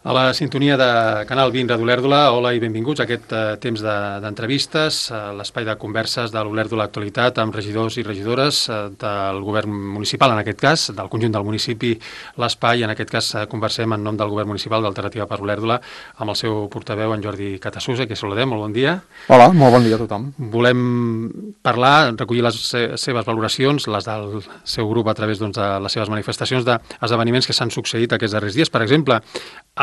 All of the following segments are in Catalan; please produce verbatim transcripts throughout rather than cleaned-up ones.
A la sintonia de Canal vint de l'Olèrdola, hola i benvinguts a aquest uh, temps d'entrevistes, de, uh, l'espai de converses de l'Olèrdola Actualitat amb regidors i regidores uh, del govern municipal, en aquest cas, del conjunt del municipi, l'espai, en aquest cas uh, conversem en nom del govern municipal d'Alternativa per l'Olèrdola amb el seu portaveu, en Jordi Catasusa, que saludem, molt bon dia. Hola, molt bon dia a tothom. Volem parlar, recollir les seves valoracions, les del seu grup a través doncs, de les seves manifestacions d'esdeveniments que s'han succeït aquests darrers dies. Per exemple,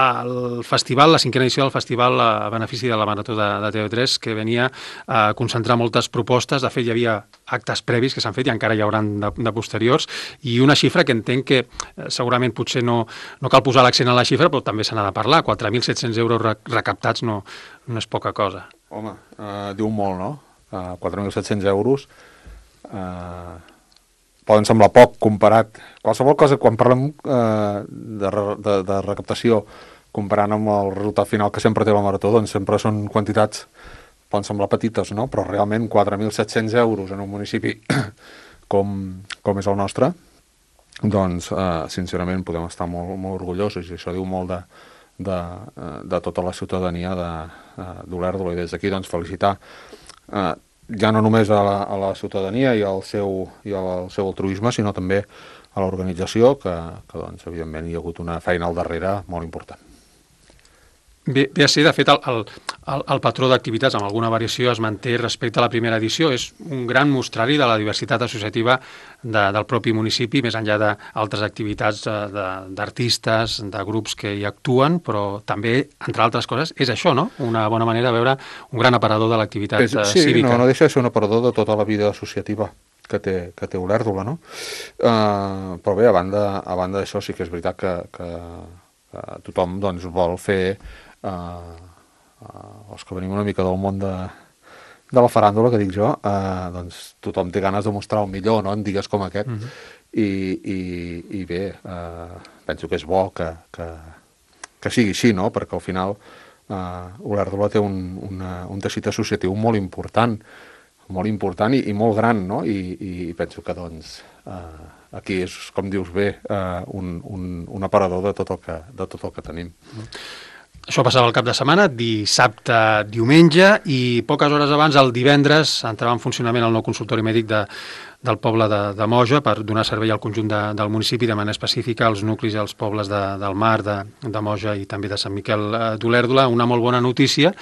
el festival, la cinquena edició del festival a benefici de la Marató de, de T V tres, que venia a concentrar moltes propostes. De fet, hi havia actes previs que s'han fet i encara hi hauran de, de posteriors, i una xifra que entenc que eh, segurament potser no, no cal posar l'accent a la xifra, però també se n'ha de parlar. quatre mil set-cents euros recaptats no, no és poca cosa. Home, uh, diu molt, no? Uh, quatre mil set-cents euros uh, poden semblar poc comparat. Qualsevol cosa, quan parlem uh, de, de, de recaptació, comparant amb el resultat final que sempre té la Marató, doncs sempre són quantitats, poden semblar petites, no? Però realment quatre mil set-cents euros en un municipi com, com és el nostre, doncs uh, sincerament podem estar molt, molt orgullosos, i això diu molt de, de, de tota la ciutadania d'Olèrdola, i des d'aquí doncs felicitar uh, ja no només a la, a la ciutadania i al seu, i al seu altruisme, sinó també a l'organització, que, que doncs, evidentment hi ha hagut una feina al darrere molt important. Bé, bé a ser, de fet, el, el, el patró d'activitats amb alguna variació es manté respecte a la primera edició. És un gran mostrari de la diversitat associativa de, del propi municipi, més enllà d'altres activitats d'artistes, de, de grups que hi actuen, però també, entre altres coses, és això, no? Una bona manera de veure un gran aparador de l'activitat sí, cívica. Sí, no, no deixa de ser un aparador de tota la vida associativa que té, que té Olèrdola, no? Uh, però bé, a banda, a banda d'això, sí que és veritat que, que, que tothom doncs, vol fer... Uh, uh, els que venim una mica del món de, de la faràndula, que dic jo, uh, doncs tothom té ganes de mostrar el millor, no?, en dies com aquest. Mm-hmm. I, i, i bé, uh, penso que és bo que, que, que sigui així, no?, perquè al final uh, Olèrdola té un, una, un teixit associatiu molt important, molt important i, i molt gran, no?, i, i penso que doncs uh, aquí és, com dius bé, uh, un, un, un aparador de tot el que, de tot el que tenim. Mm-hmm. Això passava el cap de setmana, dissabte, diumenge, i poques hores abans, el divendres, entrava en funcionament el nou consultori mèdic de, del poble de, de Moja per donar servei al conjunt de, del municipi, de manera específica als nuclis i als pobles de, del Mar, de, de Moja i també de Sant Miquel d'Olèrdola. Una molt bona notícia.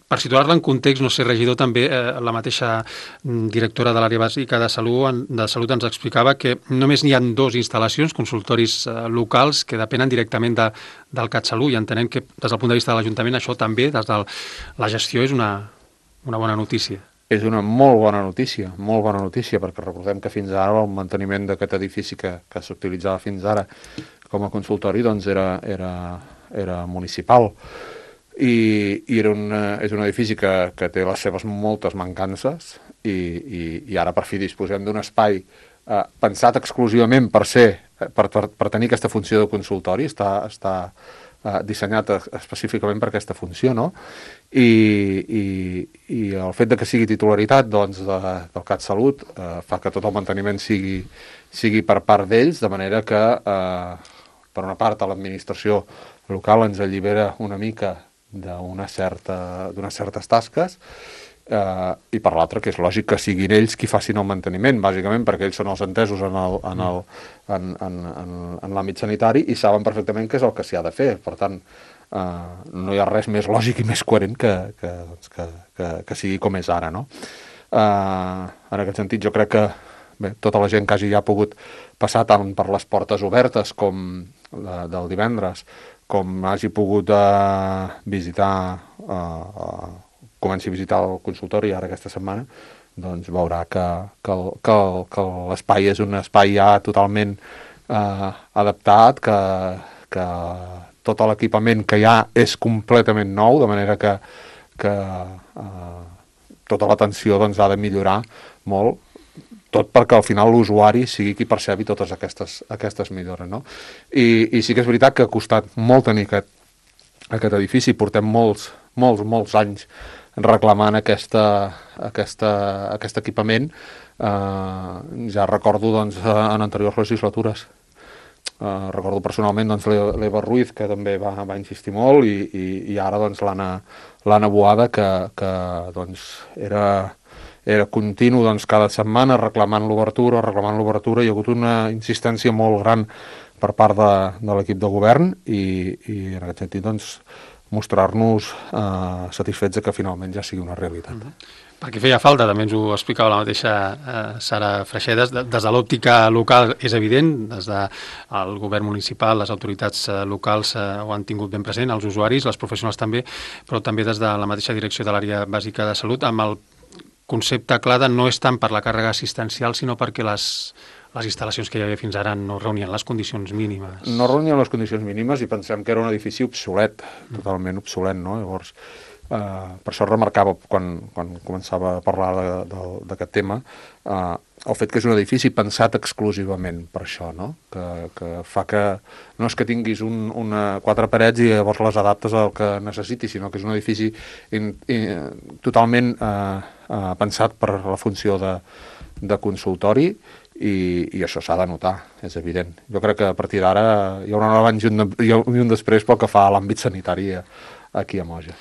Per situar-la en context, no sé, regidor, també eh, la mateixa directora de l'àrea bàsica de salut, de salut ens explicava que només n'hi ha dues instal·lacions, consultoris eh, locals, que depenen directament de, del CatSalut, i entenem que des del punt de vista de l'Ajuntament això també, des de la gestió, és una, una bona notícia. És una molt bona notícia, molt bona notícia, perquè recordem que fins ara el manteniment d'aquest edifici que, que s'utilitzava fins ara com a consultori doncs era, era, era municipal. I, i era un, és un edifici que, que té les seves moltes mancances i, i, i ara per fi disposem d'un espai eh, pensat exclusivament per ser, per, per, per tenir aquesta funció de consultori, està, està eh, dissenyat específicament per aquesta funció, no? I, i, i el fet de que sigui titularitat doncs, de, del CatSalut eh, fa que tot el manteniment sigui, sigui per part d'ells, de manera que eh, per una part a l'administració local ens allibera una mica d'unes certa, certes tasques eh, i per l'altra que és lògic que siguin ells qui facin el manteniment, bàsicament perquè ells són els entesos en el, en el, en, en, en, en l'àmbit sanitari i saben perfectament què és el que s'hi ha de fer. Per tant, eh, no hi ha res més lògic i més coherent que, que, que, que, que sigui com és ara, no? Eh, en aquest sentit jo crec que bé, tota la gent que hagi ja pogut passar tant per les portes obertes com la, del divendres, com hagi pogut uh, visitar, uh, uh, comenci a visitar el consultori ara aquesta setmana, doncs veurà que, que, que, que l'espai és un espai ja totalment uh, adaptat, que, que tot l'equipament que hi ha és completament nou, de manera que, que uh, tota l'atenció doncs, ha de millorar molt, tot perquè al final l'usuari sigui qui percebi totes aquestes, aquestes millores, no? I, I sí que és veritat que ha costat molt tenir aquest, aquest edifici, portem molts, molts, molts anys reclamant aquesta, aquesta, aquest equipament. Eh, ja recordo doncs, en anteriors legislatures Uh, recordo personalment doncs, l'Eva Ruiz, que també va, va insistir molt, i, i, i ara doncs, l'Anna Boada, que, que doncs, era, era continu doncs, cada setmana reclamant l'obertura, reclamant l'obertura. Hi ha hagut una insistència molt gran per part de, de l'equip de govern i, i en aquest sentit doncs, mostrar-nos uh, satisfets de que finalment ja sigui una realitat. Mm-hmm. Perquè feia falta, també ens ho explicava la mateixa eh, Sara Freixedes, des de l'òptica local és evident, des del govern municipal, les autoritats eh, locals eh, ho han tingut ben present, els usuaris, les professionals també, però també des de la mateixa direcció de l'àrea bàsica de salut, amb el concepte clar de no és tant per la càrrega assistencial, sinó perquè les, les instal·lacions que hi havia fins ara no reunien les condicions mínimes. No reunien les condicions mínimes i pensem que era un edifici obsolet, totalment obsolet, no? Llavors, Uh, per això remarcava quan, quan començava a parlar d'aquest tema uh, el fet que és un edifici pensat exclusivament per això, no? que, que fa que no és que tinguis un, una, quatre parets i llavors les adaptes al que necessitis, sinó que és un edifici in, in, totalment uh, uh, pensat per la funció de, de consultori i, i això s'ha de notar, és evident. Jo crec que a partir d'ara hi haurà un abans i un, i un després pel que fa a l'àmbit sanitari aquí a Moja.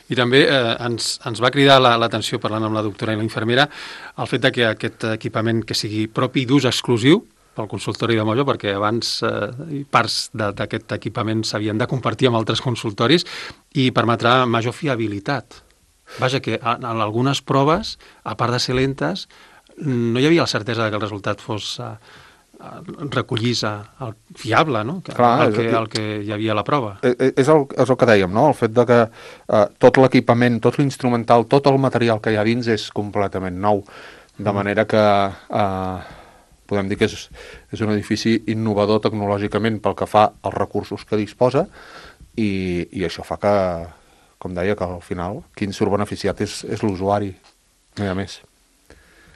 I també eh, ens, ens va cridar l'atenció, parlant amb la doctora i la infermera, el fet de que aquest equipament que sigui propi d'ús exclusiu pel consultori de Moja, perquè abans eh, parts d'aquest equipament s'havien de compartir amb altres consultoris i permetrà major fiabilitat. Vaja, que en, en algunes proves, a part de ser lentes, no hi havia la certesa de que el resultat fos eh, recollís el fiable, no? Que, Clar, el, que, el que hi havia a la prova. És el, és el que dèiem, no? El fet de que eh, tot l'equipament, tot l'instrumental, tot el material que hi ha dins és completament nou, de manera que eh, podem dir que és, és un edifici innovador tecnològicament pel que fa als recursos que disposa i, i això fa que, com deia, que al final qui en surt beneficiat és, és l'usuari, no hi ha més.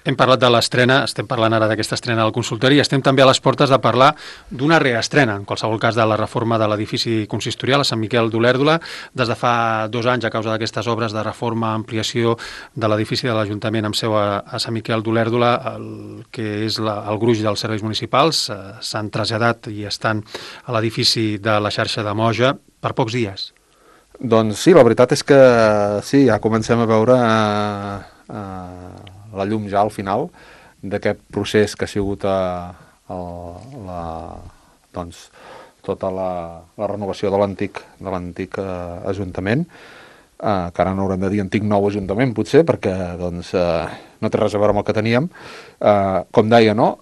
Hem parlat de l'estrena, estem parlant ara d'aquesta estrena del consultori i estem també a les portes de parlar d'una reestrena, en qualsevol cas de la reforma de l'edifici consistorial a Sant Miquel d'Olèrdola. Des de fa dos anys, a causa d'aquestes obres de reforma, ampliació de l'edifici de l'Ajuntament amb seu a, a Sant Miquel d'Olèrdola, el que és la, el gruix dels serveis municipals, eh, s'han traslladat i estan a l'edifici de la xarxa de Moja per pocs dies. Doncs sí, la veritat és que sí, ja comencem a veure eh, eh, la llum ja al final d'aquest procés que ha sigut a, a la, doncs, tota la, la renovació de l'antic de l'antic eh, Ajuntament, eh, que ara no haurem de dir antic nou Ajuntament potser, perquè doncs, eh, no té res a veure amb el que teníem. Eh, com deia, no?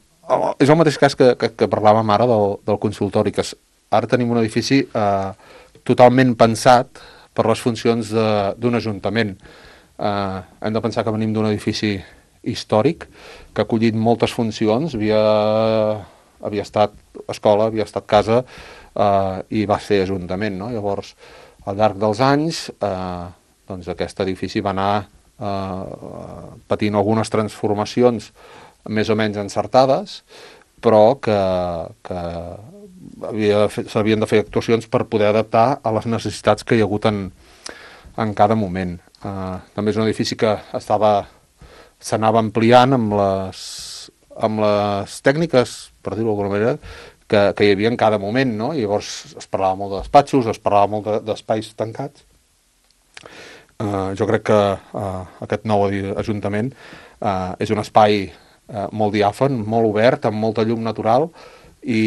És el mateix cas que, que, que parlàvem ara del, del consultori, que ara tenim un edifici eh, totalment pensat per les funcions d'un Ajuntament. Eh, hem de pensar que venim d'un edifici històric, que ha acollit moltes funcions, havia, havia estat escola, havia estat casa eh, i va ser ajuntament, no? Llavors, al llarg dels anys, eh, doncs aquest edifici va anar eh, patint algunes transformacions més o menys encertades, però que, que s'havien de fer actuacions per poder adaptar a les necessitats que hi ha hagut en, en cada moment. Eh, també és un edifici que estava s'anava ampliant amb les, amb les tècniques, per dir-ho d'alguna manera, que, que hi havia en cada moment, no? I llavors es parlava molt de despatxos, es parlava molt d'espais de, tancats. Uh, jo crec que uh, aquest nou Ajuntament uh, és un espai uh, molt diàfan, molt obert, amb molta llum natural i,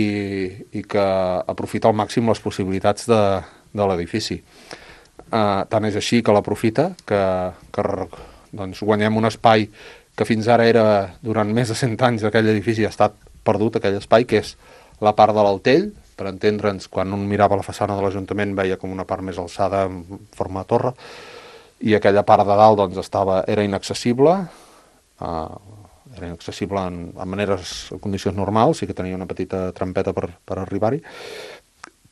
i que aprofita al màxim les possibilitats de, de l'edifici. Uh, tant és així que l'aprofita, que, que doncs guanyem un espai que fins ara era, durant més de cent anys d'aquell edifici ha estat perdut, aquell espai, que és la part de l'Altell, per entendre'ns, quan un mirava la façana de l'Ajuntament veia com una part més alçada en forma de torre, i aquella part de dalt doncs, estava, era inaccessible, uh, era inaccessible en, en maneres, en condicions normals, sí que tenia una petita trampeta per, per arribar-hi,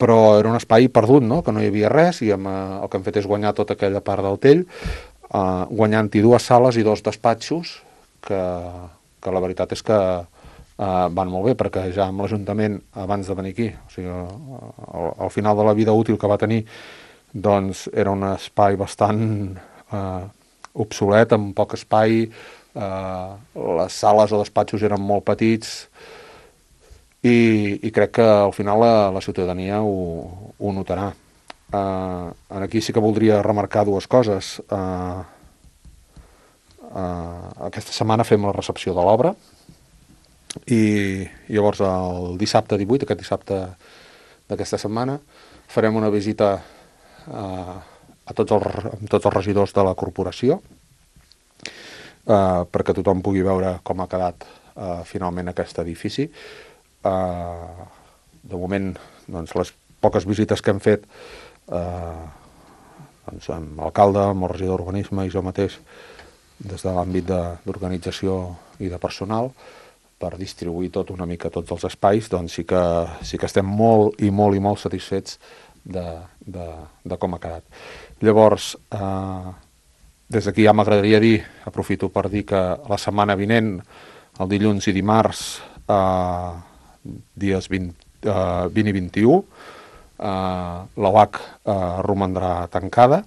però era un espai perdut, no? Que no hi havia res, i amb, uh, el que hem fet és guanyar tota aquella part del Tell, Uh, guanyant-hi dues sales i dos despatxos que, que la veritat és que uh, van molt bé, perquè ja amb l'Ajuntament abans de venir aquí, o sigui, uh, al, al final de la vida útil que va tenir, doncs era un espai bastant uh, obsolet, amb poc espai, uh, les sales o despatxos eren molt petits, i, i crec que al final la, la ciutadania ho, ho notarà. Uh, aquí sí que voldria remarcar dues coses. Uh, uh, aquesta setmana fem la recepció de l'obra i llavors el dissabte divuit, aquest dissabte d'aquesta setmana, farem una visita uh, a tots els, a tots els regidors de la corporació uh, perquè tothom pugui veure com ha quedat uh, finalment aquest edifici. Uh, de moment, doncs, les poques visites que hem fet Uh, doncs amb l'alcalde, amb el regidor d'urbanisme i jo mateix des de l'àmbit d'organització i de personal per distribuir tot una mica tots els espais, doncs sí que, sí que estem molt i molt i molt satisfets de, de, de com ha quedat. Llavors, uh, des d'aquí ja m'agradaria dir, aprofito per dir que la setmana vinent, el dilluns i dimarts, uh, dies vint, uh, vint i vint-i-u, Uh, la U A C uh, romandrà tancada.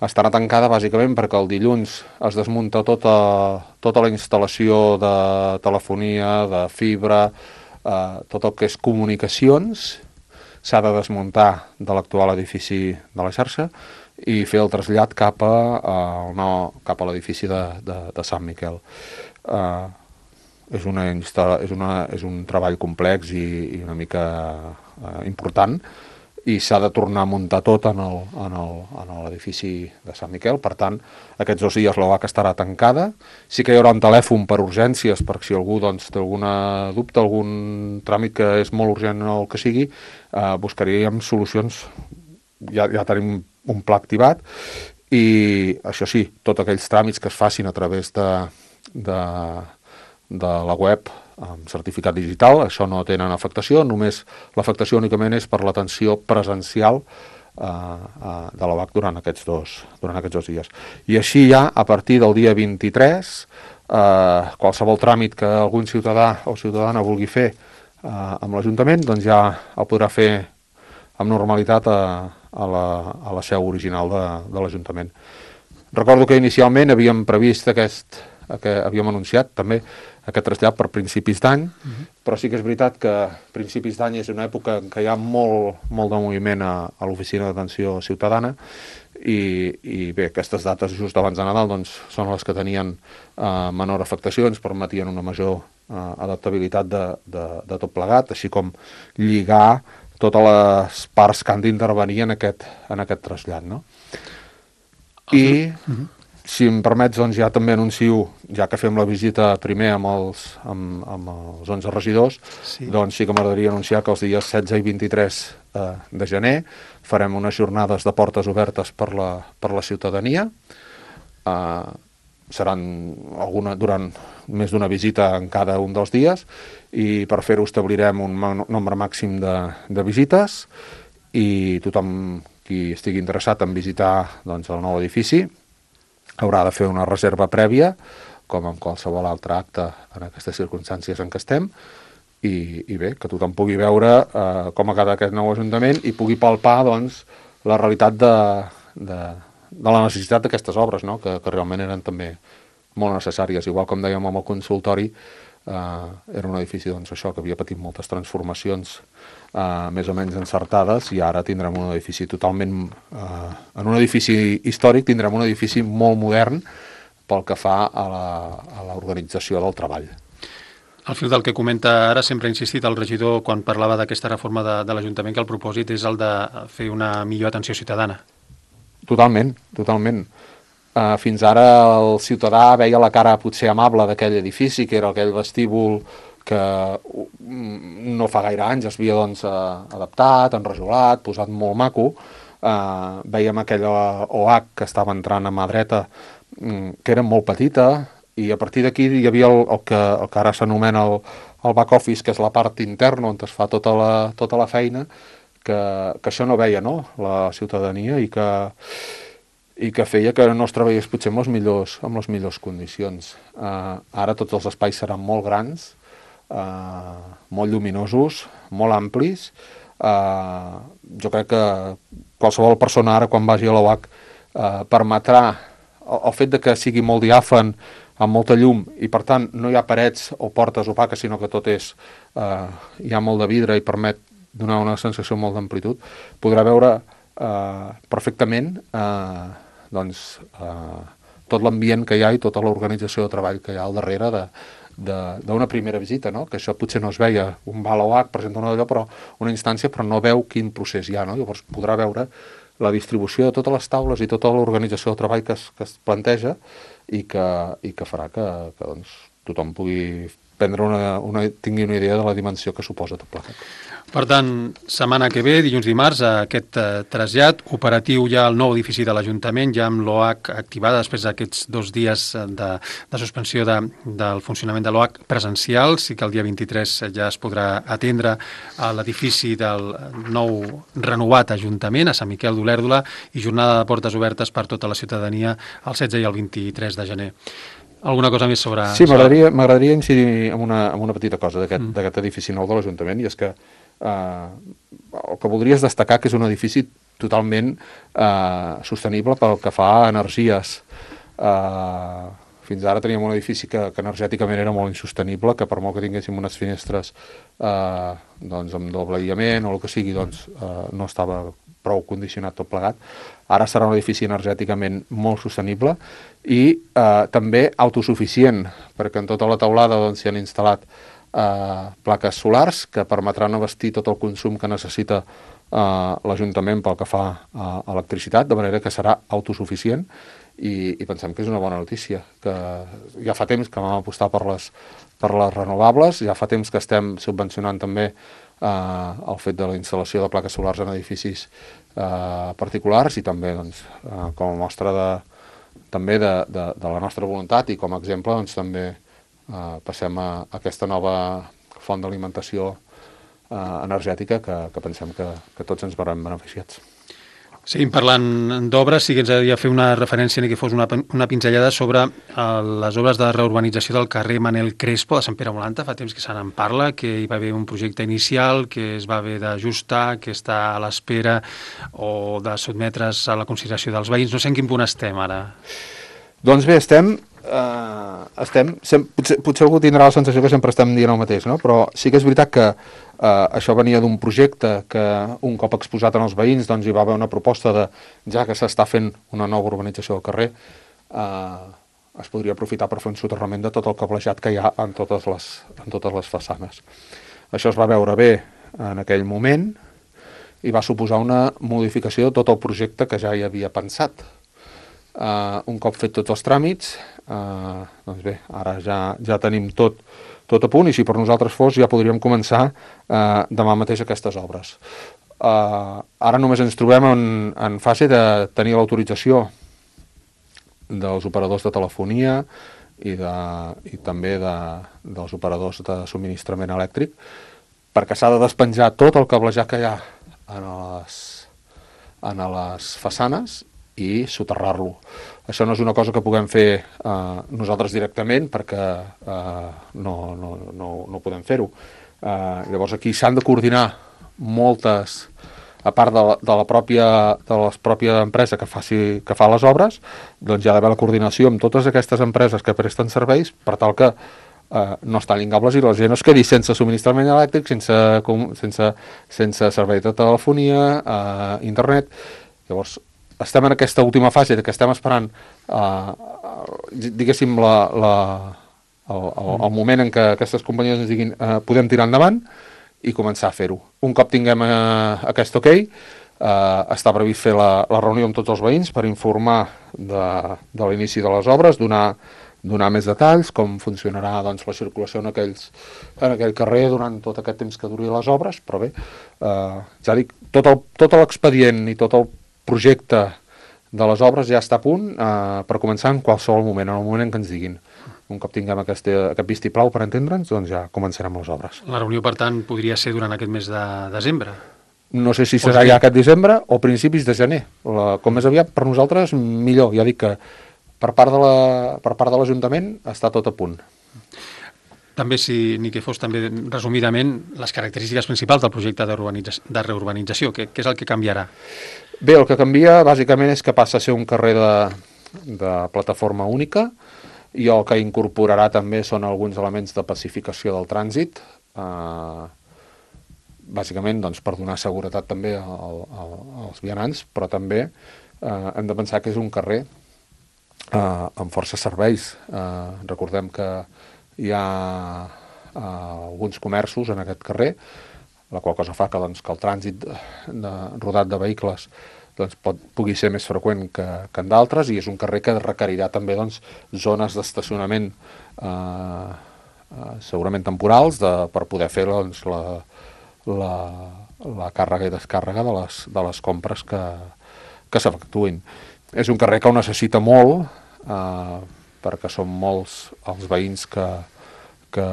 Estarà tancada bàsicament perquè el dilluns es desmunta tota, tota la instal·lació de telefonia, de fibra, uh, tot el que és comunicacions, s'ha de desmuntar de l'actual edifici de la xarxa i fer el trasllat cap a, uh, no, cap a l'edifici de, de, de Sant Miquel. Uh, és, una insta- és, una, és un treball complex i, i una mica uh, important, i s'ha de tornar a muntar tot en el, en el, en l'edifici de Sant Miquel. Per tant, aquests dos dies la U A C estarà tancada. Sí que hi haurà un telèfon per urgències, per si algú doncs, té alguna dubte, algun tràmit que és molt urgent o el que sigui, eh, buscaríem solucions. Ja, ja tenim un pla activat i, això sí, tots aquells tràmits que es facin a través de, de, de la web amb certificat digital, això no tenen afectació, només l'afectació únicament és per l'atenció presencial eh, eh, de la U A C durant aquests, dos, durant aquests dos dies. I així ja, a partir del dia vint-i-tres, eh, qualsevol tràmit que algun ciutadà o ciutadana vulgui fer eh, amb l'Ajuntament, doncs ja el podrà fer amb normalitat a, a, la, a la seu original de, de l'Ajuntament. Recordo que inicialment havíem previst aquest, que havíem anunciat també aquest trasllat per principis d'any, uh-huh. però sí que és veritat que principis d'any és una època en què hi ha molt, molt de moviment a, a l'oficina d'atenció ciutadana i, i bé, aquestes dates just abans de Nadal doncs, són les que tenien eh, menor afectació, ens permetien una major eh, adaptabilitat de, de, de tot plegat, així com lligar totes les parts que han d'intervenir en aquest, en aquest trasllat, no? I... Uh-huh. Si em permets, doncs ja també anuncio, ja que fem la visita primer amb els, amb, amb els onze regidors, sí. doncs sí que m'agradaria anunciar que els dies setze i vint-i-tres eh, de gener farem unes jornades de portes obertes per la, per la ciutadania. Eh, seran alguna, durant més d'una visita en cada un dels dies i per fer-ho establirem un nombre màxim de, de visites i tothom qui estigui interessat en visitar doncs, el nou edifici haurà de fer una reserva prèvia, com en qualsevol altre acte en aquestes circumstàncies en què estem, i, i bé, que tothom pugui veure eh, com ha quedat aquest nou Ajuntament i pugui palpar doncs, la realitat de, de, de la necessitat d'aquestes obres, no? que, que realment eren també molt necessàries. Igual com dèiem amb el consultori, eh, era un edifici doncs, això que havia patit moltes transformacions Uh, més o menys encertades i ara tindrem un edifici totalment uh, en un edifici històric tindrem un edifici molt modern pel que fa a l'organització del treball. Al fil del que comenta ara, sempre ha insistit el regidor quan parlava d'aquesta reforma de, de l'Ajuntament que el propòsit és el de fer una millor atenció ciutadana. Totalment, totalment. Uh, fins ara el ciutadà veia la cara potser amable d'aquell edifici, que era aquell vestíbul que no fa gaire anys es havia doncs, adaptat, enrajolat, posat molt maco. Eh, veiem aquella O H que estava entrant a mà dreta, que era molt petita, i a partir d'aquí hi havia el, el, que, el que ara s'anomena el, el back office, que és la part interna on es fa tota la, tota la feina, que, que això no veia no? la ciutadania i que, i que feia que no es treballés potser amb les millors, amb les millors condicions. Eh, ara tots els espais seran molt grans, Uh, molt lluminosos, molt amplis. Uh, jo crec que qualsevol persona ara quan vagi a l'O H uh, permetrà el, el fet de que sigui molt diàfan amb molta llum i per tant no hi ha parets o portes opaques, sinó que tot és, eh, hi ha molt de vidre i permet donar una sensació molt d'amplitud, podrà veure eh, perfectament eh, doncs, eh, tot l'ambient que hi ha i tota l'organització de treball que hi ha al darrere de d'una primera visita, no? Que això potser no es veia, un va a l'O H, presenta una d'allò, però una instància, però no veu quin procés hi ha, no? Llavors podrà veure la distribució de totes les taules i tota l'organització de treball que es, que es planteja i que, i que farà que, que doncs, tothom pugui prendre una, una, tingui una idea de la dimensió que suposa tot plegat. Per tant, setmana que ve, dilluns dimarts, aquest eh, trasllat operatiu ja al nou edifici de l'Ajuntament, ja amb l'O H activada després d'aquests dos dies de, de suspensió de, del funcionament de l'O H presencial. Sí que el dia vint-i-tres ja es podrà atendre a l'edifici del nou renovat Ajuntament, a Sant Miquel d'Olèrdola, i jornada de portes obertes per tota la ciutadania el setze i el vint-i-tres de gener. Alguna cosa més sobre... Sí, m'agradaria m'agradaria incidir en una, en una petita cosa d'aquest mm. edifici nou de l'Ajuntament, i és que eh, el que voldria és destacar que és un edifici totalment eh, sostenible pel que fa a energies. Eh, fins ara teníem un edifici que, que energèticament era molt insostenible, que per molt que tinguéssim unes finestres eh, doncs amb doble aïllament o el que sigui, doncs eh, no estava prou condicionat tot plegat. Ara serà un edifici energèticament molt sostenible i eh, també autosuficient, perquè en tota la teulada doncs, s'hi han instal·lat eh, plaques solars que permetran abastir tot el consum que necessita eh, l'Ajuntament pel que fa a electricitat, de manera que serà autosuficient i, i pensem que és una bona notícia, que ja fa temps que vam apostar per les, per les renovables, ja fa temps que estem subvencionant també Uh, el fet de la instal·lació de plaques solars en edificis uh, particulars i també doncs, uh, com a mostra de, també de, de, de la nostra voluntat i com a exemple doncs, també uh, passem a, a aquesta nova font d'alimentació uh, energètica que, que pensem que, que tots ens veurem beneficiats. Seguim parlant d'obres, sí que ens agradaria fer una referència, ni que fos una, una pinzellada sobre uh, les obres de reurbanització del carrer Manel Crespo de Sant Pere Molanta. Fa temps que se n'en parla, que hi va haver un projecte inicial, que es va haver d'ajustar, que està a l'espera o de sotmetre's a la consideració dels veïns. No sé en quin punt estem ara. Doncs bé, estem... Uh, estem sem, potser, potser algú tindrà la sensació que sempre estem dient el mateix, no? Però sí que és veritat que uh, això venia d'un projecte que un cop exposat en els veïns doncs hi va haver una proposta de, ja que s'està fent una nova urbanització del carrer, uh, es podria aprofitar per fer un soterrament de tot el cablejat que hi ha en totes les, en totes les façanes. Això es va veure bé en aquell moment i va suposar una modificació de tot el projecte que ja hi havia pensat. Uh, un cop fet tots els tràmits, uh, doncs bé, ara ja, ja tenim tot, tot a punt i si per nosaltres fos ja podríem començar uh, demà mateix aquestes obres. Uh, ara només ens trobem en, en fase de tenir l'autorització dels operadors de telefonia i, de, i també de, dels operadors de subministrament elèctric perquè s'ha de despenjar tot el cablejat que hi ha en les, en les façanes i soterrar-lo. Això no és una cosa que puguem fer eh, nosaltres directament perquè eh, no, no, no, no podem fer-ho. Eh, llavors aquí s'han de coordinar moltes, a part de la, de la pròpia, de la pròpia empresa que, faci, que fa les obres, doncs hi ha d'haver la coordinació amb totes aquestes empreses que presten serveis per tal que eh, no es tallin cables i la gent no es quedi sense subministrament elèctric, sense, sense, sense servei de telefonia, eh, internet. Llavors, estem en aquesta última fase de que estem esperant eh, diguéssim la, la, el, el, el moment en què aquestes companyies ens diguin eh, podem tirar endavant i començar a fer-ho. Un cop tinguem eh, aquest ok, eh, està previst fer la, la reunió amb tots els veïns per informar de, de l'inici de les obres, donar, donar més detalls, com funcionarà doncs, la circulació en, aquells, en aquell carrer durant tot aquest temps que duri les obres, però bé, eh, ja dic, tot el, tot l'expedient i tot el projecte de les obres ja està a punt eh, per començar en qualsevol moment, en el moment en què ens diguin. Un cop tinguem aquest, aquest vistiplau per entendre'ns, doncs ja començarem les obres. La reunió, per tant, podria ser durant aquest mes de desembre? No sé si serà ja aquest desembre o principis de gener. La, com més aviat, per nosaltres, millor. Ja dic que per part de la, per part de l'Ajuntament està tot a punt. També, si ni que fos també resumidament, les característiques principals del projecte de, de reurbanització, què, què és el que canviarà? Bé, el que canvia bàsicament és que passa a ser un carrer de, de plataforma única i el que incorporarà també són alguns elements de pacificació del trànsit, eh, bàsicament doncs, per donar seguretat també al, al, als vianants, però també eh, hem de pensar que és un carrer eh, amb força serveis. Eh, recordem que hi ha eh, alguns comerços en aquest carrer, la qual cosa fa que, doncs, que el trànsit de, de, rodat de vehicles doncs, pot, pugui ser més freqüent que, que en d'altres, i és un carrer que requerirà també doncs, zones d'estacionament eh, eh, segurament temporals de, per poder fer doncs, la, la, la càrrega i descàrrega de les, de les compres que, que s'efectuïn. És un carrer que ho necessita molt, eh, perquè són molts els veïns que, que,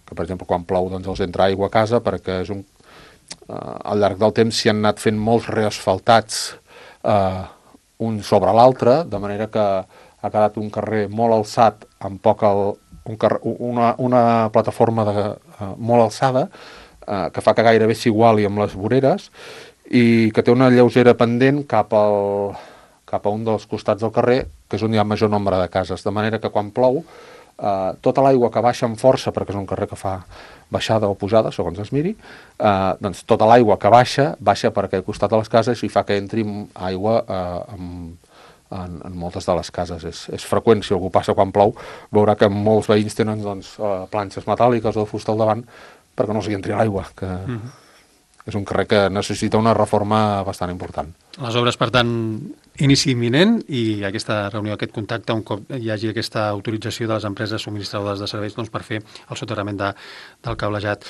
que per exemple, quan plou doncs, els entra aigua a casa, perquè és un, eh, al llarg del temps s'hi han anat fent molts reasfaltats eh, un sobre l'altre, de manera que ha quedat un carrer molt alçat, amb poc el, un carrer, una, una plataforma de, eh, molt alçada, eh, que fa que gairebé s'iguali amb les voreres, i que té una lleugera pendent cap, al, cap a un dels costats del carrer, que és on hi ha major nombre de cases, de manera que quan plou, eh, tota l'aigua que baixa amb força, perquè és un carrer que fa baixada o pujada, segons es miri, eh, doncs tota l'aigua que baixa, baixa per aquell costat de les cases i fa que entri aigua eh, amb, en, en moltes de les cases. És, és freqüent, si algú passa quan plou, veurà que molts veïns tenen doncs, eh, planxes metàl·liques o de fusta al davant perquè no s'hi entri l'aigua, que mm-hmm. és un carrer que necessita una reforma bastant important. Les obres, per tant, inici imminent, i aquesta reunió, aquest contacte, un cop hi hagi aquesta autorització de les empreses subministradores de serveis doncs, per fer el soterrament de, del cablejat.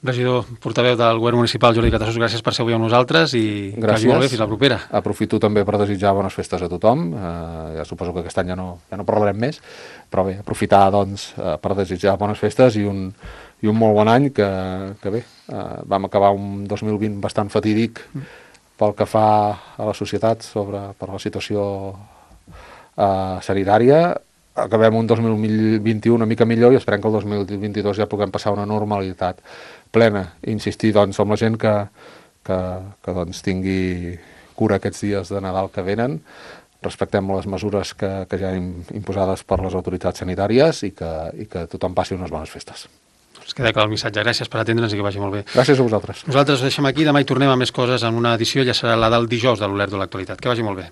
Regidor, portaveu del Govern Municipal, Jordi Catassos, gràcies per ser avui amb nosaltres i gràcies. Que vagi molt bé, fins la propera. Aprofito també per desitjar bones festes a tothom. Eh, ja suposo que aquest any ja no, ja no parlarem més, però bé, aprofitar doncs, eh, per desitjar bones festes i un, i un molt bon any, que, que bé, eh, vam acabar un dos mil vint bastant fatídic pel que fa a la societat sobre, per la situació eh, sanitària. Acabem un dos mil vint-i-u una mica millor i esperem que el dos mil vint-i-dos ja puguem passar una normalitat plena. Insistir doncs, amb la gent que, que, que doncs, tingui cura aquests dies de Nadal que venen, respectem les mesures que, que ja han imposades per les autoritats sanitàries i que, i que tothom passi unes bones festes. Es queda clar el missatge. Gràcies per atendre'ns i que vagi molt bé. Gràcies a vosaltres. Nosaltres ho deixem aquí, demà hi tornem a més coses en una edició, ja serà la del dijous de l'Olert de l'Actualitat. Que vagi molt bé.